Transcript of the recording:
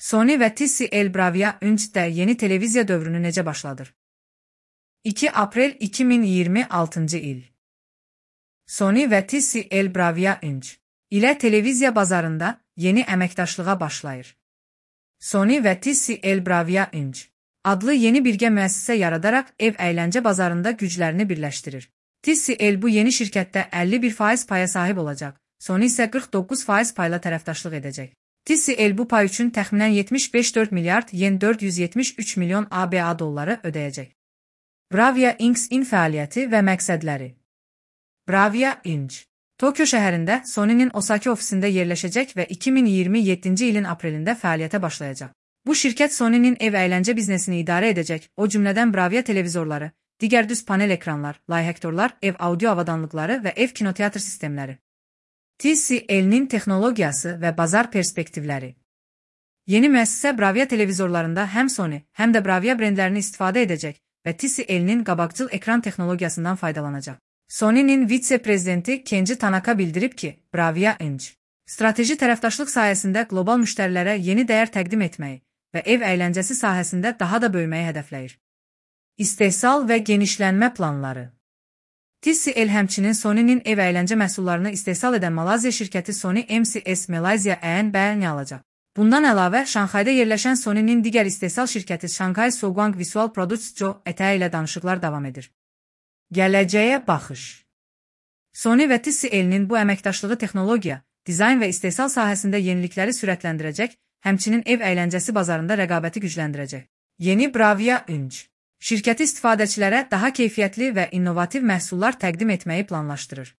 Sony və TCL Bravia 3D yeni televiziya dövrünü necə başladır? 2 aprel 2026 il. Sony və TCL Bravia 3 ilə televiziya bazarında yeni əməkdaşlığa başlayır. Sony və TCL Bravia 3 adlı yeni birgə müəssisə yaradaraq ev əyləncə bazarında güclərini birləşdirir. TCL bu yeni şirkətdə 51% paya sahib olacaq, Sony isə 49% payla tərəfdaşlıq edəcək. TCL bu pay üçün təxminən 75,4 milyard yen 473 milyon ABA dolları ödəyəcək. Bravia Inc.'in fəaliyyəti və məqsədləri. Bravia Inc. Tokyo şəhərində Sony'nin Osaka ofisində yerləşəcək və 2027-ci ilin aprelində fəaliyyətə başlayacaq. Bu şirkət Sony'nin ev əyləncə biznesini idarə edəcək, o cümlədən Bravia televizorları, digər düz panel ekranlar, layihəktorlar, ev audio avadanlıqları və ev kinoteatr sistemləri. TCL-nin texnologiyası və bazar perspektivləri. Yeni müəssisə Bravia televizorlarında həm Sony, həm də Bravia brendlərini istifadə edəcək və TCL-nin qabaqcıl ekran texnologiyasından faydalanacaq. Sony'nin vitse-prezidenti Kenji Tanaka bildirib ki, Bravia Inc. strateji tərəfdaşlıq sayəsində qlobal müştərilərə yeni dəyər təqdim etməyi və ev əyləncəsi sahəsində daha da böyüməyi hədəfləyir. İstehsal və genişlənmə planları. TCL həmçinin Sony'nin ev əyləncə məhsullarını istehsal edən Malayziya şirkəti Sony MCS Malaysia Ən alacaq. Bundan əlavə, Şanxayda yerləşən Sony'nin digər istehsal şirkəti Shanghai Souguang Visual Products Co. ilə danışıqlar davam edir. Gələcəyə baxış. Sony və TCL-nin bu əməkdaşlığı texnologiya, dizayn və istehsal sahəsində yenilikləri sürətləndirəcək, həmçinin ev əyləncəsi bazarında rəqabəti gücləndirəcək. Yeni Bravia Inc. şirkəti istifadəçilərə daha keyfiyyətli və innovativ məhsullar təqdim etməyi planlaşdırır.